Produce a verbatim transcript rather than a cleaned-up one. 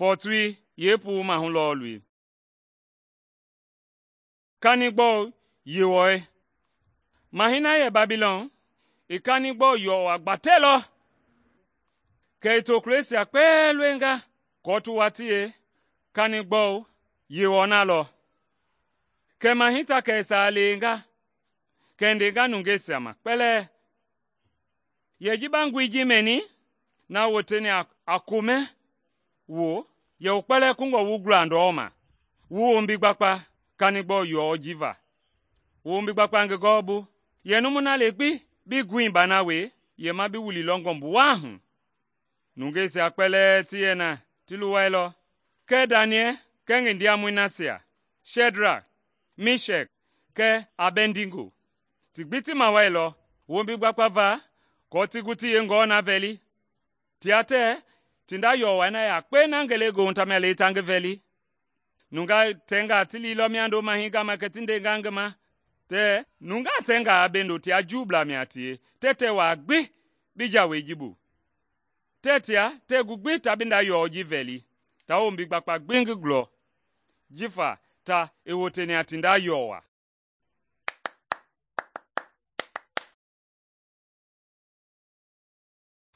fɔɔtoi yeepuu mahu lɔɔlui. Kanigbɔu Yewɔɛi. Mahɛi na yɛ Babilɔn i kanigbɔu yɔwa gbatɛlɔ, kɛ i tokulɔisia kpɛɛ loenga aako ti wa ti yee kanigbɔu Yewɔ na lɔ. Kɛ mahɛi ta kɛ i saa leenga kɛ i ndenga nungeisia ma kpɛlɛɛ, “Yɛ ji ba ngoi ji mɛni na woteni a komɛ woo, yɛ wu kpɛlɛɛ kungɔ wu gula ndɔma, wu wombi gbakpa kanigbɔu yɔɔ ji va. Wu wombi gbakpa ngi gɔɔbu, yɛ numu na le gbi bii goi bana we, yɛ ma bi wulilɔ ngɔmbu waa hu.” Nungeisia kpɛlɛɛ ti yɛ na ti luwailɔ, kɛɛ Daniɛl kɛɛ ngi ndiamɔi nasia, Shɛdrak, Mishɛk kɛɛ Abɛdnigo, ti gbi ti mawailɔ wombi gbakpa va aako ti gu ti yeengɔɔ na vɛli. Tia tɛɛ ti nda yɔwai na yakpe na ngelegoohu tamia le ta ngi vɛli. Nungaa tɛngaa ti liilɔ miando mahɛi gama kɛ ti ndenga ngi ma tɛɛ nungaa tɛngaa bendo tia Juublaa mia tie, tɛɛ tɛɛ waa gbi bi jawei ji bu. Tɛɛ tia tɛɛ gu gbi ta bi nda yɔɔ ji vɛli, ta wombi gbakpa gbi ngi gulɔ, jifa ta i woteni a ti nda yɔwa.